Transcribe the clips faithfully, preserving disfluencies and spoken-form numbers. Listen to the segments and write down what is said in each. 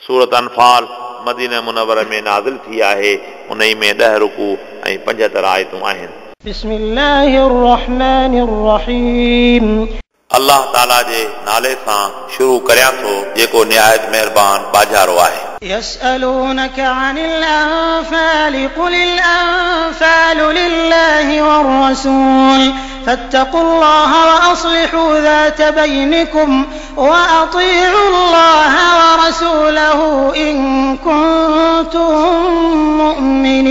सूरत अनफाल मदीना मुनव्वर में नाज़िल थी आहे। उन्ही में ॾह रुकू ऐं पंजहतरि आयतूं आहिनि। बिस्मिल्लाहिर रहमानिर रहीम। अल्लाह ताला जे नाले सां शुरू करियां थो जेको निहायत महिरबान बाजारो आहे। यसअलूनक अनिल अनफाल कुलिल अनफाल लिल्लाहि वर्रसूल फत्तकुल्लाह वअस्लिहू ज़ात बैनिकुम वअतीउल्लाह वरसूलहू इन कुंतुम मुमिनीन।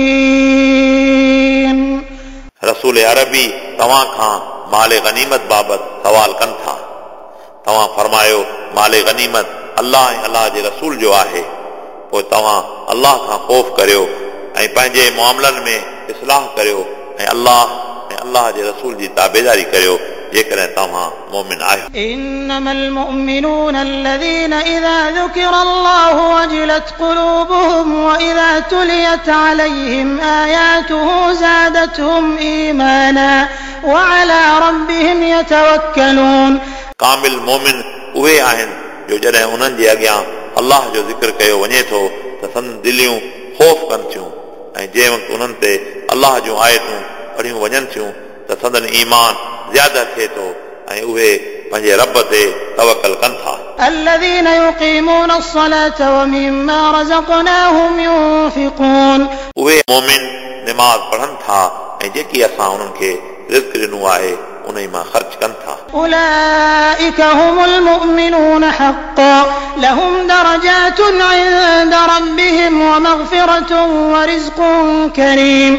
रसूल अरबी तव्हां खां माल गनीमत बाबति सवाल कनि था। तव्हां फरमायो माल गनीमत अल्लाह ऐं अल्लाह जे रसूल जो आहे, पोइ तव्हां अल्लाह खां ख़ौफ़ करियो ऐं पंहिंजे मुआमलनि में इस्लाह करियो ऐं अल्लाह ऐं अल्लाह जे रसूल जी ताबेदारी करियो जेकॾहिं तव्हां मोमिन आहियो। इन्नमल मुमिनून अल्लज़ीन इज़ा ज़ुकिरल्लाहु वजिलत क़ुलूबुहुम व इज़ा तुलियत अलैहिम आयातुहु ज़ादतहुम ईमाना व अला रब्बिहिम यतवक्कलून। कामिल मोमिन उहे आहिनि जो जॾहिं उन्हनि जे अॻियां अल्लाह जो ज़िक्र कयो वञे थो त संदन दिलियूं ख़ौफ़ कनि थियूं ऐं जंहिं वक़्तु उन्हनि ते अल्लाह जूं आयतूं पढ़ियूं वञनि थियूं त संदन ईमान ज़्यादा थिए थो ऐं उहे पंहिंजे रब ते तवकल कनि था। الذين يقيمون الصلاة ومما رزقناهم ينفقون। उहे मोमिन नमाज़ पढ़नि था ऐं जेकी असां उन्हनि खे रिज़्क ॾिनो आहे उन मां ख़र्च कनि था। أولئك هم المؤمنون حقا لهم درجات عند ربهم ومغفرة ورزق كريم।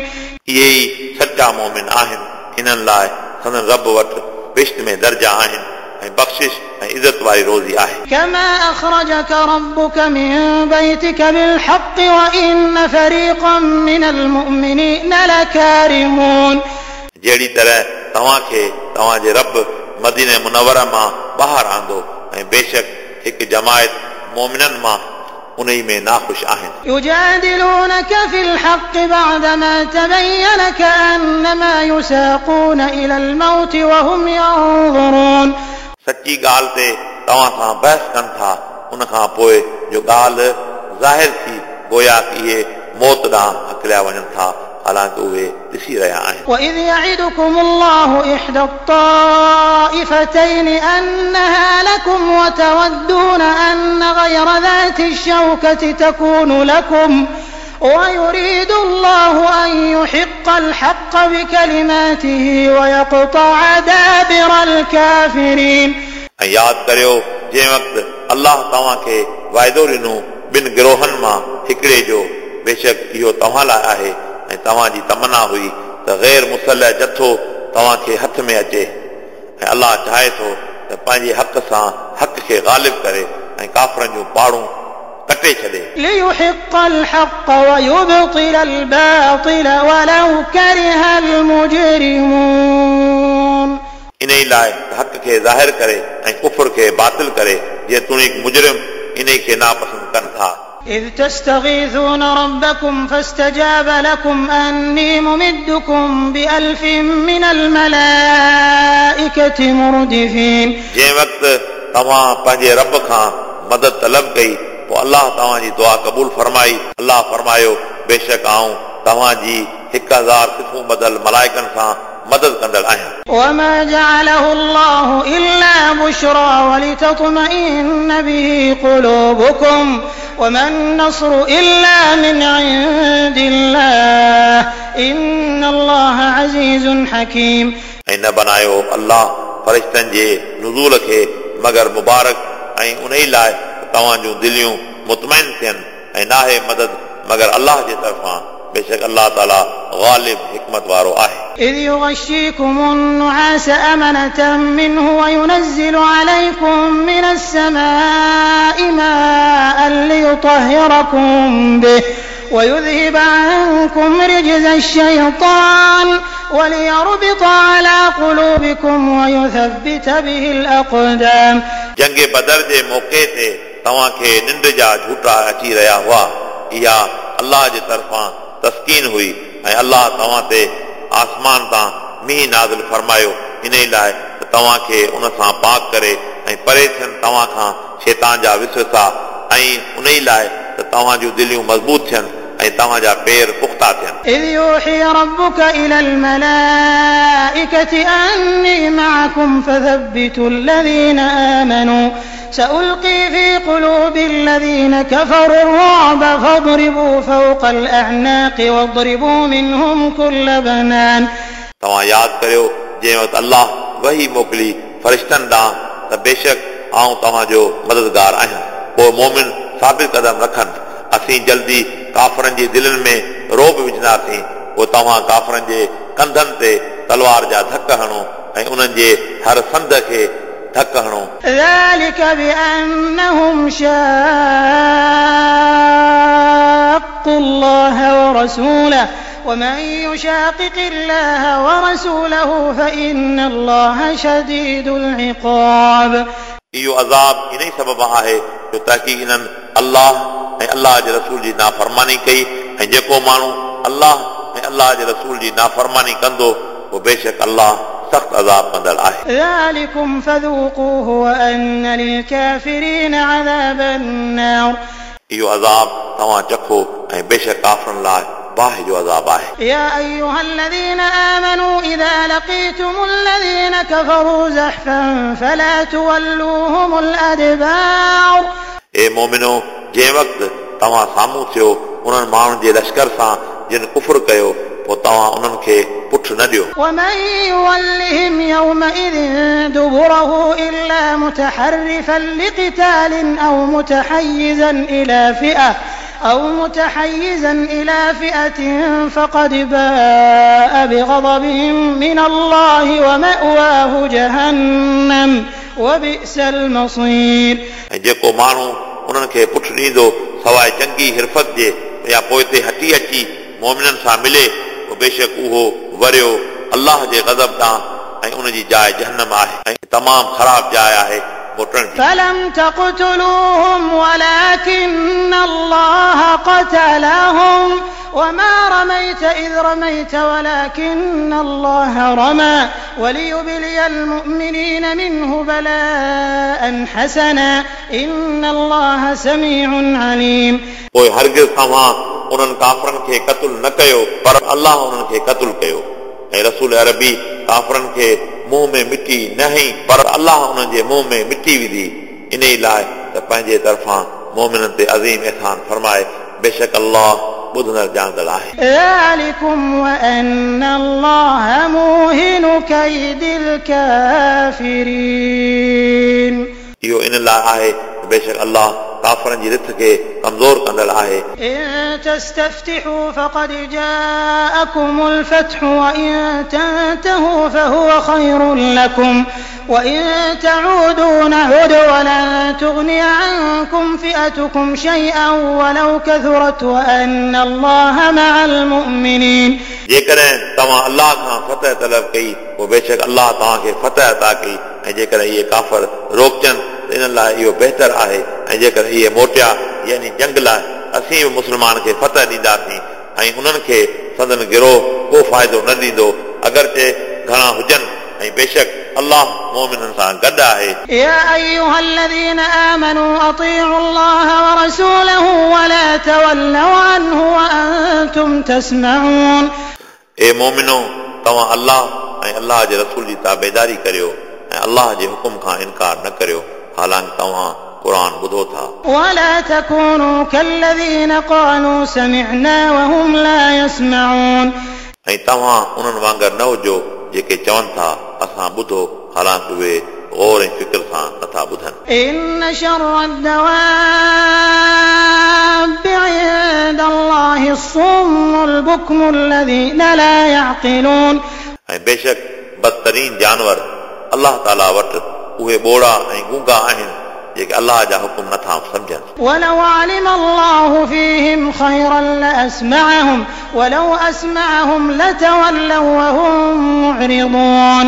इहे ई सच्चा मोमिन आहिनि, इन्हनि लाइ संदन रब वटि बिश्त में दर्जा आहिनि ऐं बख़्शिश ऐं इज़त वारी रोज़ी आहे। كما أخرجك ربك من بيتك بالحق وإن فريقا من المؤمنين لكارهون। जहिड़ी तरह तव्हांखे तव्हांजे रब मदीने मुनव्वर मां ॿाहिरि आंदो ऐं बेशक हिकु जमायत मोमिननि मां उन में नाख़ुश आहिनि। يجادلونك في الحق بعدما تبين كأنما يساقون إلى الموت وهم ينظرون। सची ॻाल्हि ते तव्हां सां बहस कनि था उन खां पोइ जो ॻाल्हि ज़ाहिर थी गोया कि इहे मौत ॾांहुं हकलिया वञनि था, हालांकि उहे ॾिसी रहिया आहिनि। وإذ يعدكم الله إحدى الطائفتين أنها لكم وتودون أن غير ذات الشوكة تكون لكم ويريد الله أن يحق الحق بكلماته ويقطع دابر الكافرين। ऐं यादि करियो जंहिं वक़्तु अल्लाह तव्हांखे वाइदो ॾिनो ॿिनि गिरोहनि मां हिकिड़े जो, बेशक इहो तव्हां लाइ आहे ऐं तव्हांजी तमना हुई त गैर मुसलह जथो तव्हांखे हथ में अचे ऐं अल्लाह चाहे थो त पंहिंजे हक़ सां हक़ खे ग़ालिब करे ऐं काफ़रनि जूं पाड़ूं कटे छॾे। ليحق الحق ويبطل الباطل ولو كره المجرمون। इन लाइ हक़ खे ज़ाहिर करे ऐं कुफर खे बातिल करे, जेतोणीकि मुजरिम इन खे नापसंदि कनि था। إذ تستغيثون ربكم فاستجاب لكم أني ممدكم بألف من الملائكة مردفين। जंहिं वक़्तु तव्हां पंहिंजे रब खां मदद तलब कई पोइ अल्लाह तव्हांजी दुआ क़बूल फरमाई। अल्लाह फरमायो बेशक आऊं तव्हांजी हिकु हज़ार सिफूं बदल मलाइकनि सां मदद कंदड़ आहियां। وما جعله الله إلا بشرى ولتطمئن به قلوبكم وما النصر إلا من عند الله إن الله عزيز حكيم। ऐं न बनायो अल्लाह फरिश्तनि जे नुज़ूल खे मगर मुबारक ऐं उन लाइ तव्हांजूं दिलियूं मुतमैन थियनि ऐं नाहे मदद मगर अल्लाह जे तरफ़ां, बेशक अल्लाह ताला ग़ालिब हिकमत वारो आहे। إذ يغشيكم النعاس أمنة منه وينزل عليكم من السماء ماء ليطهركم به ويذهب عنكم رجز الشيطان وليربط على قلوبكم ويثبت به الأقدام। जंग बदर जे मौक़े ते तव्हांखे निंड जा झूठा अची रहिया हुआ, इहा अल्लाह जे तरफ़ां तस्कीन हुई ऐं अल्लाह तव्हां ते आसमान तां मींहुं नाज़िल फरमायो इन लाइ त तव्हांखे उन सां पाक करे ऐं परे थियनि तव्हां खां शैतान जा विसविसा ऐं उन ई लाइ त तव्हां जूं दिलियूं मज़बूत थियनि ऐं तव्हांजा पेर पुख़्ता थियनि। إذ يوحي ربك إلى الملائكة أني معكم فثبتوا الذين آمنوا سألقي في قلوب الذين كفروا الرعب فاضربوا فوق الأعناق واضربوا منهم كل بنان। तव्हां यादि करियो जंहिं वक़्तु अल्लाह वही मोकिली फरिश्तनि ॾांहुं त बेशक आउं तव्हांजो मददगार आहियां। पोइ मोमिन साबित कदम रखनि, असीं जल्दी काफ़रनि जी दिलनि में रोब विझंदासीं। पोइ तव्हां काफ़रनि जे कंधनि ते तलवार जा धक हणो ऐं उन्हनि जे हर संद खे धक हणो। ذلك بأنهم شاقوا الله ورسوله ومن يشاقق الله ورسوله فإن الله شديد العقاب। इहो अज़ाब इन ई सबब आहे जो तहक़ीक़ इन्हनि अल्लाह ऐं अल्लाह जे रसूल जी नाफ़रमानी कई ऐं जेको माण्हू अल्लाह ऐं अल्लाह जे रसूल जी नाफ़रमानी कंदो पोइ बेशक अल्लाह सख़्तु अज़ाब कंदड़ आहे। ذلكم فذوقوه وأن للكافرين عذاب النار। इहो अज़ाब तव्हां चखो ऐं बेशक काफ़रनि लाइ बाहि जो अज़ाब आहे। يا أيها الذين آمنوا إذا لقيتم الذين كفروا زحفا فلا تولوهم الأدبار। ए मोमिनो, जंहिं वक़्तु तव्हां साम्हूं थियो उन्हनि माण्हुनि जे लश्कर सां जिन कुफुर कयो, पोइ तव्हां उन्हनि खे पुठ न ॾियो। ومن يولهم يومئذ دبره إلا متحرفا لقتال أو متحيزا إلى فئة أو متحيزا إلى فئة فقد باء بغضب من الله ومأواه جهنم وبئس المصير। ऐं जेको माण्हू उन्हनि खे पुठ ॾींदो सवाइ चंगी हिरफत जे या पोइते हटी अची मोमिननि सां मिले, पोइ बेशक उहो वरियो अल्लाह जे ग़ज़ब ॾांहुं ऐं उन जी जाइ जहन्नम आहे ऐं तमामु ख़राब जाइ आहे मोटण जी। فلم تقتلوهم ولكن الله قتلهم وما رميت إذ رميت ولكن الله رمى وليبلي المؤمنين منه بلاء حسنا إن الله سميع عليم। पोइ हरगिज़ तव्हां उन्हनि काफ़रनि खे क़तलु न कयो, पर अल्लाह उन्हनि खे क़तलु कयो। ऐं रसूल अरबी काफ़रनि खे मुंहं में मिटी न हई, पर अल्लाह उन्हनि जे मुंहं में मिटी विधी, इन ई लाइ त पंहिंजे तरफ़ां मोमिननि ते अज़ीम एहसान फरमाए। बेशक अल्लाह ॿुधंदड़ ॼाणंदड़ आहे। ذلكم وأن الله موهن كيد الكافرين। इहो इन लाइ आहे बेशक अल्लाह काफ़रनि जी रिथ खे कमज़ोर कंदड़ आहे। إن تستفتحوا فقد جاءكم الفتح وإن تنتهوا فهو خير لكم وإن تعودوا نعد ولن تغني عنكم فئتكم شيئا ولو كثرت وأن الله مع المؤمنين। जेकॾहिं तव्हां अल्लाह खां फतह तलब कई, पोइ बेशक अल्लाह तव्हांखे फतह अता कई। ऐं जेकॾहिं इहे काफ़र रोकजनि त इन्हनि लाइ इहो बहितर आहे, ऐं जेकॾहिं इहे मोटिया यानी जंग लाइ, असीं बि मुस्लमान खे फतह ॾींदासीं ऐं उन्हनि खे संदन गिरोह को फ़ाइदो न ॾींदो अगरचे घणा हुजनि, ऐं बेशक अल्लाह मोमिननि सां गॾु आहे। يا أيها الذين آمنوا أطيعوا الله ورسوله ولا تولوا عنه وأنتم تسمعون। ए मोमिनो, तव्हां अल्लाह ऐं अल्लाह जे रसूल जी ताबेदारी करियो ऐं अल्लाह जे हुकुम खां इनकार न करियो, हालांकि तव्हां क़ुर ॿुधो था। ولا تكونوا كالذين قالوا سمعنا وهم لا يسمعون। ऐं तव्हां उन्हनि वांगुरु न हुजो जेके चवनि था असां ॿुधो, हालांकि उहे गौर ऐं फ़िक्र सां नथा ॿुधनि। إن شر الدواب عند الله الصم البكم الذين لا يعقلون। ऐं बेशक बदतरीन जानवर अल्लाह ताला वटि उहे ॿोड़ा ऐं गूंगा आहिनि जेके अल्लाह जा हुकुम नथा सम्झनि। ولو علم الله فيهم خيرا لأسمعهم ولو أسمعهم لتولوا وهم معرضون।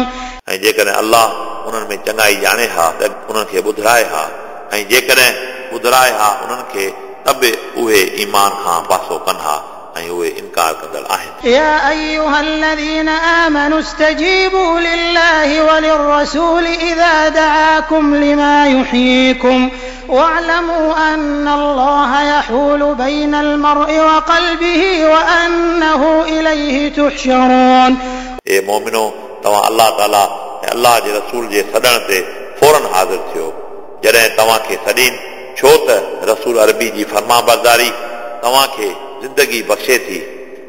ऐं जेकॾहिं अल्लाह उन्हनि में चङाई ॼाणे हा त उन्हनि खे ॿुधाए हा, ऐं जेकॾहिं ॿुधाए हा उन्हनि खे त बि उहे ईमान खां पासो कनि हा ऐं उहे इनकार कंदड़ आहिनि। يا أيها الذين آمنوا استجيبوا لله وللرسول إذا دعاكم لما يحييكم واعلموا أن الله يحول بين المرء وقلبه وأنه إليه تحشرون. ए मोमिनो, तव्हां अलाह ताला ऐं अलाह जे रसूल जे सॾण ते फ़ौरन हाज़िर थियो जॾहिं तव्हांखे सॾीनि, छो त रसूल अरबी जी फरमाबरदारी तव्हांखे ज़िंदगी बख़्शे थी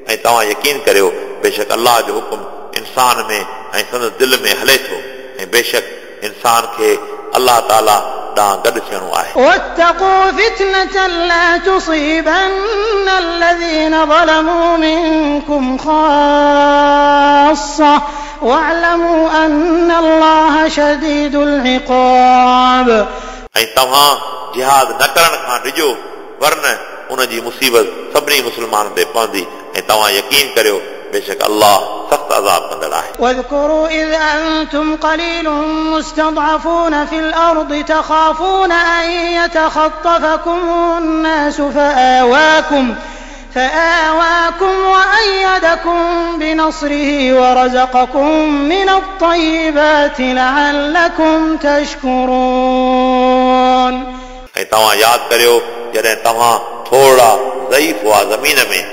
ऐं तव्हां यकीन करियो बेशक अलाह जो हुकुम इंसान में ऐं संदसि दिलि में हले थो ऐं बेशक इंसान खे अलाह ताला ॾांहुं गॾु थियणो आहे। واتقوا فتنة لا تصيبن الذين ظلموا منكم خاصة واعلموا أن الله شديد العقاب. ऐं तव्हां जिहाद न करण खां डिॼो, वरन उन जी मुसीबत सभिनी मुस्लमाननि ते पवंदी ऐं तव्हां यकीन करियो बेशक अलाह सख़्त अज़ाब कंदड़ आहे। واذكروا إذ أنتم قليل مستضعفون في الأرض تخافون أن يتخطفكم الناس فآواكم فآواكم وأيدكم بنصره ورزقكم من الطيبات لعلكم تشكرون. ऐं तव्हां यादि करियो जॾहिं तव्हां थोरा ज़ईफ़ हुआ ज़मीन में,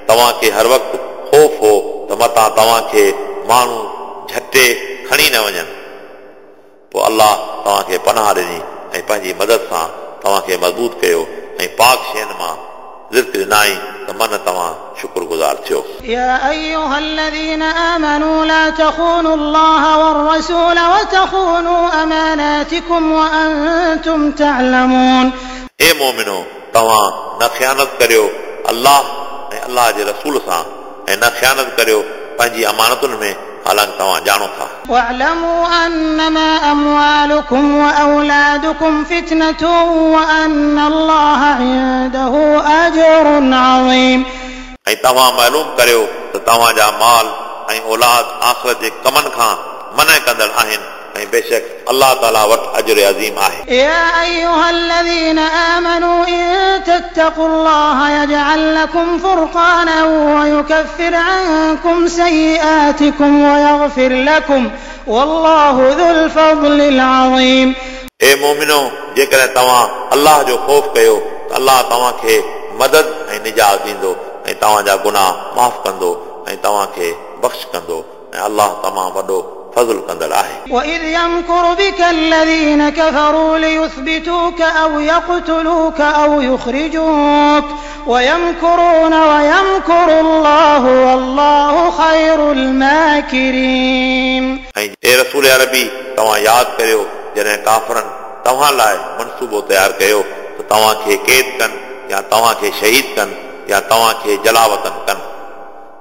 तव्हांखे हर वक़्तु ख़ौफ़ हो त मतां तव्हांखे माण्हू झटे खणी न वञनि, पोइ अलाह तव्हांखे पनाह ॾिनी ऐं पंहिंजी मदद सां तव्हांखे मज़बूत कयो ऐं पाक शयुनि मां रिज़्क ॾिनाई त मन तव्हां शुक्रगुज़ार थियो। يا أيها الذين آمنوا لا تخونوا الله والرسول وتخونوا أماناتكم وأنتم تعلمون. ए मोमिनो, तव्हां न ख़ियानत करियो अलाह ऐं अलाह जे रसूल सां ऐं न ख़ियानत करियो पंहिंजी अमानतुनि में, हालांकि तव्हां ॼाणो था। واعلموا أنما أموالكم وأولادكم فتنة وأن الله عنده أجر عظيم. ऐं तव्हां मालूम करियो त तव्हांजा माल ऐं औलाद आख़िरत जे कमनि खां मना कंदड़ आहिनि ऐं बेशक अलाह ताला वटि अजर अज़ीम आहे। يا أيها الذين آمنوا إن تتقوا الله يجعل لكم فرقانا ويكفر عنكم سيئاتكم ويغفر لكم والله ذو الفضل العظيم. ए मोमिनो, जेकॾहिं तव्हां अलाह जो ख़ौफ़ कयो त अलाह तव्हांखे मदद ऐं निजात ॾींदो ऐं तव्हांजा गुनाह माफ़ कंदो ऐं तव्हांखे बख़्श कंदो ऐं अलाह तमामु वॾो फज़ुल कंदड़ आहे। وإذ يمكر بك الذين كفروا ليثبتوك أو يقتلوك أو يخرجوك ويمكرون ويمكر الله والله خير الماكرين. ऐं ए रसूल अरबी, तव्हां यादि करियो जॾहिं काफ़रनि तव्हां लाइ मनसूबो तयारु कयो त तव्हांखे क़ैद कनि या तव्हांखे शहीद कनि या तव्हांखे जलावतन कनि,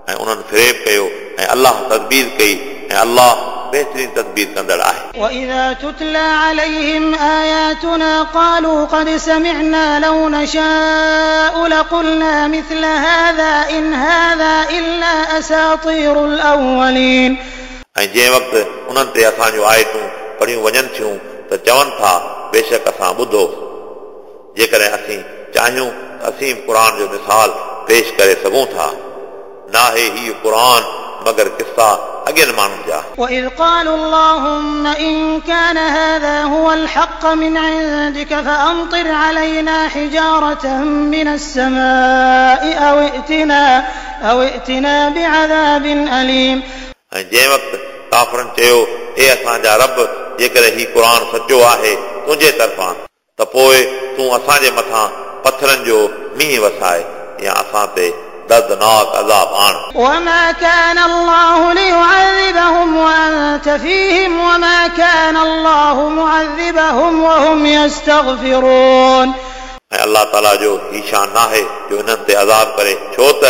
ऐं उन्हनि फ़रेब कयो ऐं अलाह तदबीर कई ऐं अलाह बेहतरीन तदबीर कंदड़ आहे। وإذا تتلى عليهم آياتنا قالوا قد سمعنا لو نشاء لقلنا مثل هذا إن هذا إلا أساطير الأولين. ऐं जंहिं वक़्तु उन्हनि ते असांजूं आयतूं पढ़ियूं वञनि थियूं त चवनि था बेशक असां ॿुधो, जेकॾहिं असीं चाहियूं त असीं क़ुर जो मिसाल पेश करे सघूं था। नाहे हीउ क़ुर मगर किस्सा अॻियनि माण्हुनि जा। وإذ قالوا اللهم إن كان هذا هو الحق من عندك فأمطر علينا حجارة من السماء أو ائتنا أو ائتنا بعذاب أليم. ऐं जंहिं वक़्तु काफ़रनि चयो हे असांजा रब, जेकॾहिं हीउ क़ुर सचो आहे तुंहिंजे तरफ़ां त पोइ तूं असांजे मथां पथरनि जो मींहुं वसाए या असां ते दर्दनाक अज़ाब आण। وما كان الله ليعذبهم وأنت فيهم وما كان الله معذبهم وهم يستغفرون. ऐं अलाह ताला जो ही शान नाहे जो इन्हनि ते अज़ाब करे, छो त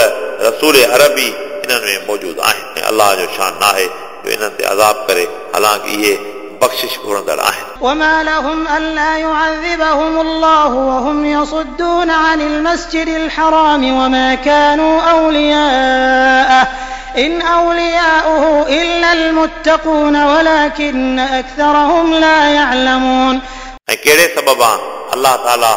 रसूल अरबी इन्हनि में मौजूदु आहिनि। ऐं अलाह जो शान नाहे जो इन्हनि ते अज़ाब करे, हालांकि इहे बख़्शिश घुरंदड़ आहिनि। وما لهم ألا يعذبهم الله وهم يصدون عن المسجد الحرام وما كانوا أولياءه إن أولياؤه إلا المتقون ولكن أكثرهم لا يعلمون. ऐं कहिड़े सबब अलाह ताला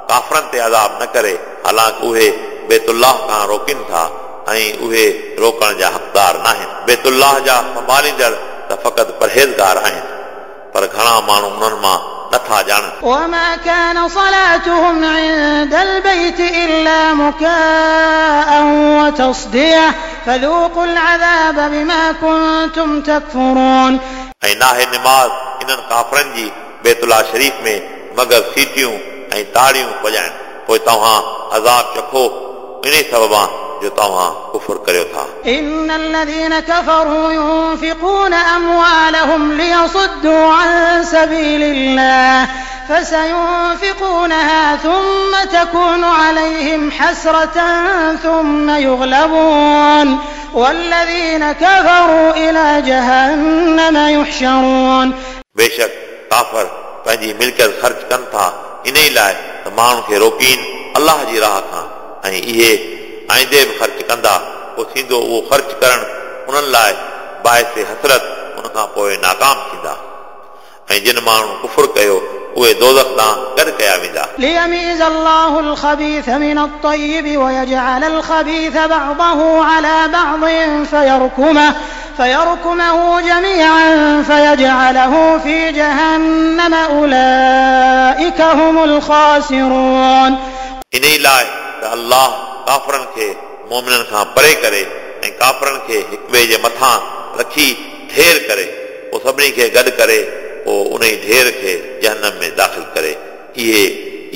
काफ़रनि ते अज़ाब न करे, हालांकि उहे बैतुल्लाह खां रोकनि था ऐं उहे रोकण जा हक़दार न आहिनि। बैतुल्लाह जा संभालींदड़ त फ़क़ति परहेज़गार आहिनि, पर घणा माण्हू उन्हनि मां नथा ॼाणनि। وما كان صلاتهم عند البيت إلا مكاء وتصدية فذوقوا العذاب بما كنتم تكفرون। ऐं नाहे निमाज़ इन्हनि काफ़रनि जी बैतुल्लाह शरीफ़ में मगर सीटियूं ऐं ताड़ियूं वॼाइनि, पोइ तव्हां अज़ाब चखो इन सबबा जो तव्हां कुफुर करियो था। إن الذين كفروا ينفقون أموالهم ليصدوا عن سبيل الله فسينفقونها ثم تكون عليهم حسرة ثم يغلبون والذين كفروا إلى جهنم يحشرون। बेशक काफ़र पंहिंजी मिल्कियत ख़र्च कनि था इन ई लाइ त माण्हुनि खे रोकीनि अल्लाह जी राह खां, ऐं इहे आईंदे बि ख़र्च कंदा, पोइ थींदो उहो ख़र्च करणु उन्हनि लाइ बाइस हसरत, उन खां पोइ नाकाम थींदा। ऐं जिन माण्हुनि कुफुर कयो उहे दोज़ख ॾांहुं गॾु कया वेंदा। ليميز الله الخبيث من الطيب ويجعل الخبيث بعضه على بعض فيركمه فيركمه جميعا فيجعله في جهنم أولئك هم الخاسرون। इन ई लाइ त अल्लाह काफ़रनि खे मोमिननि खां परे करे ऐं काफ़रनि खे हिक ॿिए जे मथां रखी ढेर करे, पोइ सभिनी खे गॾु करे पोइ उन ई ढेर खे जहन्नम में दाख़िल करे। इहे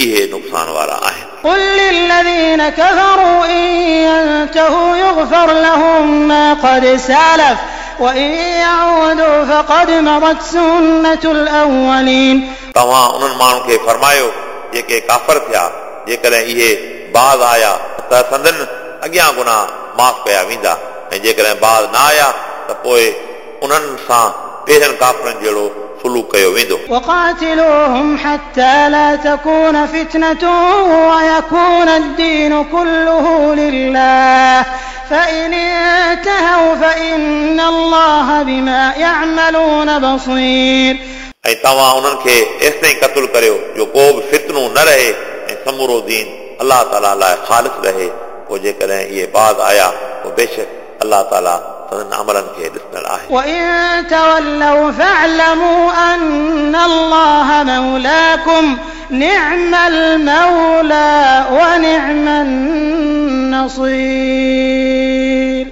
इहे नुक़सान वारा आहिनि। قل للذين كفروا إن ينتهوا يغفر لهم ما قد سلف وإن يعودوا فقد مضت سنة الأولين। तव्हां उन्हनि माण्हुनि खे फरमायो जेके काफ़र थिया, जेकॾहिं इहे बाज़ आया त संदन अॻियां गुनाह माफ़ कया वेंदा, ऐं जेकॾहिं बाज़ न आया त पोइ उन्हनि सां पहिरियनि काफ़रनि जहिड़ो सुलूक कयो वेंदो। وقاتلوهم حتى لا تكون فتنة ويكون الدين كله لله فإن انتهوا فإن الله بما يعملون بصير। ऐं तव्हां उन्हनि खे एसि ताईं क़तलु करियो जो को बि फितनो न रहे ऐं समूरो दीन अल्लाह ताला लाइ ख़ालिस रहे। पोइ जेकॾहिं इहे बाज़ आया पोइ बेशक अल्लाह ताला संदन अमलनि खे ॾिसंदड़ आहे। وإن تولوا فاعلموا أن الله مولاكم نعم المولى ونعم النصير।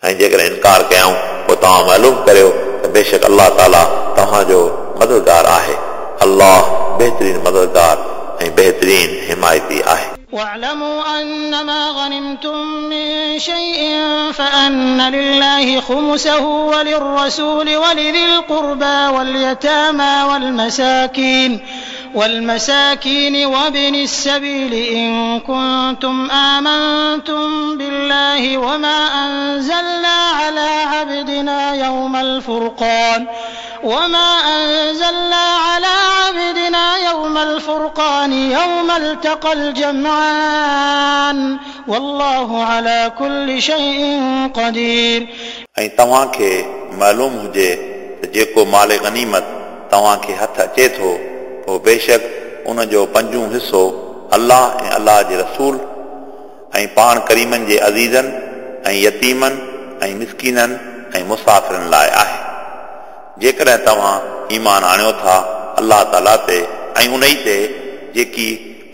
ऐं जेकॾहिं इनकार कयाऊं पोइ तव्हां मालूम करियो त बेशक अल्लाह ताला तव्हांजो मददगार आहे। अल्लाह बहितरीन मददगार ऐं बहितरीन हिमायती आहे। واعلموا أنما غنمتم من شيء فأن لله خمسه وللرسول ولذي القربى واليتامى والمساكين والمساكين وابن السبيل إن كنتم آمنتم بالله وما أنزلنا على عبدنا يوم الفرقان وما أنزلنا على عبدنا يوم الفرقان يوم التقى الجمعان والله على كل شيء قدير। ऐं तव्हांखे मालूम हुजे त जेको माल गनीमत तव्हांखे हथ अचे थो पोइ बेशक उन जो पंजूं हिसो अल्लाह ऐं अल्लाह जे रसूल ऐं पाण करीमनि जे अज़ीज़नि ऐं यतीमनि ऐं मिसकीननि ऐं मुसाफ़िरनि लाइ आहे। जेकॾहिं तव्हां ईमान आणियो था अल्लाह ताला ते ऐं उन ई ते जेकी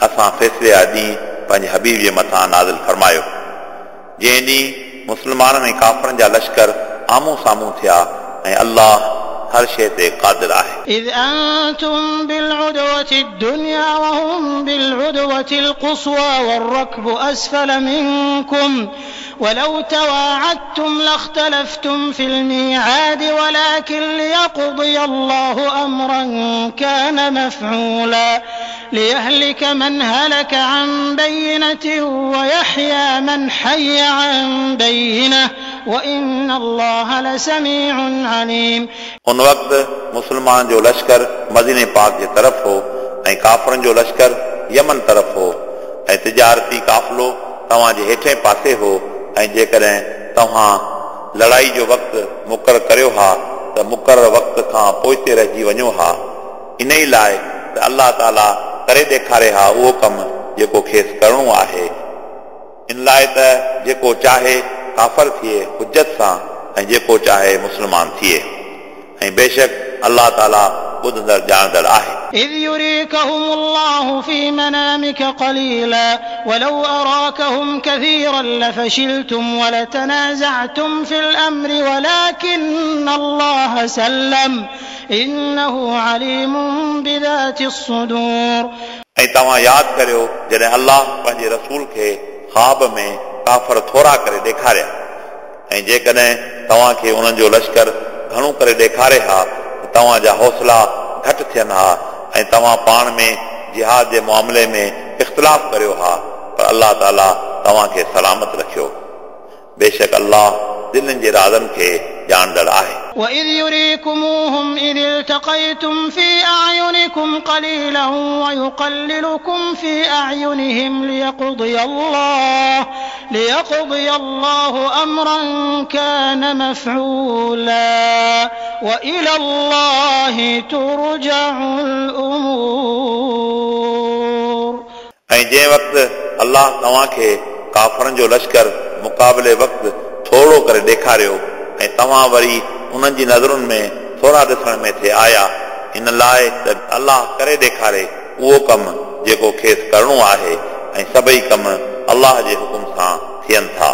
असां फ़ैसिले जा ॾींहुं पंहिंजे हबीब जे मथां नाज़िल फरमायो, जंहिं ॾींहुं मुस्लमाननि ऐं काफ़रनि जा लश्कर आम्हूं साम्हूं थिया ऐं अल्लाह हर शइ ते क़ादिर आहे। إذ أنتم بالعدوة الدنيا وهم بالعدوة القصوى والركب أسفل منكم ولو تواعدتم لاختلفتم في الميعاد ولكن ليقضي الله أمرا كان مفعولا ليهلك من هلك عن بينة ويحيى من حي عن بينة وإن الله لسميع عليم। उन वक़्तु मुस्लमान जो लश्कर मदीने पाक जे तरफ़ हो ऐं काफ़रनि जो लश्कर यमन तरफ़ हो ऐं तिजारती काफ़िलो तव्हांजे हेठे पासे हो ऐं जेकॾहिं तव्हां लड़ाई जो वक़्तु मुक़ररु करियो हा त मुक़ररु वक़्त खां पोइते रहिजी वञो हा। इन ई लाइ त अल्लाह ताला करे ॾेखारे हा उहो कमु जेको खेसि करिणो आहे। इन लाइ त जेको चाहे काफ़र थिए हुजत सां ऐं जेको चाहे मुस्लमान थिए। ऐं बेशक अल्लाह ताला ॿुधंदड़ ॼाणंदड़ आहे। إذ يريكهم الله في منامك قليلا ولو أراكهم كثيرا لفشلتم ولتنازعتم في الأمر ولكن الله سلم إنه عليم بذات الصدور। ऐं तव्हां यादि करियो जॾहिं अल्लाह पंहिंजे रसूल खे ख़्वाब में काफ़र थोरा करे ॾेखारिया ऐं जेकॾहिं तव्हांखे उन्हनि जो लश्कर घणो करे ॾेखारे हा त तव्हांजा हौसला घटि थियनि हा ऐं तव्हां पाण में जिहाद जे मामले में इख़्तिलाफ़ करियो हा, पर अल्लाह ताला तव्हांखे सलामत रखियो। बेशक अल्लाह दिलनि जे राज़नि खे ॼाणंदड़ आहे। وإذ يريكموهم إذ التقيتم في أعينكم قليلا ويقللكم في أعينهم ليقضي الله ليقضي الله أمرا كان مفعولا وإلى الله ترجع الأمور। ऐं जंहिं वक़्तु अल्लाह तव्हांखे काफ़रनि जो लश्कर मुक़ाबले वक़्तु थोरो करे ॾेखारियो ऐं तव्हां वरी उन्हनि जी नज़रुनि में थोरा ॾिसण में थे आया, इन लाइ त अल्लाह करे ॾेखारे उहो कमु जेको खेसि करिणो आहे ऐं सभई कम अल्लाह जे हुकुम सां थियनि था।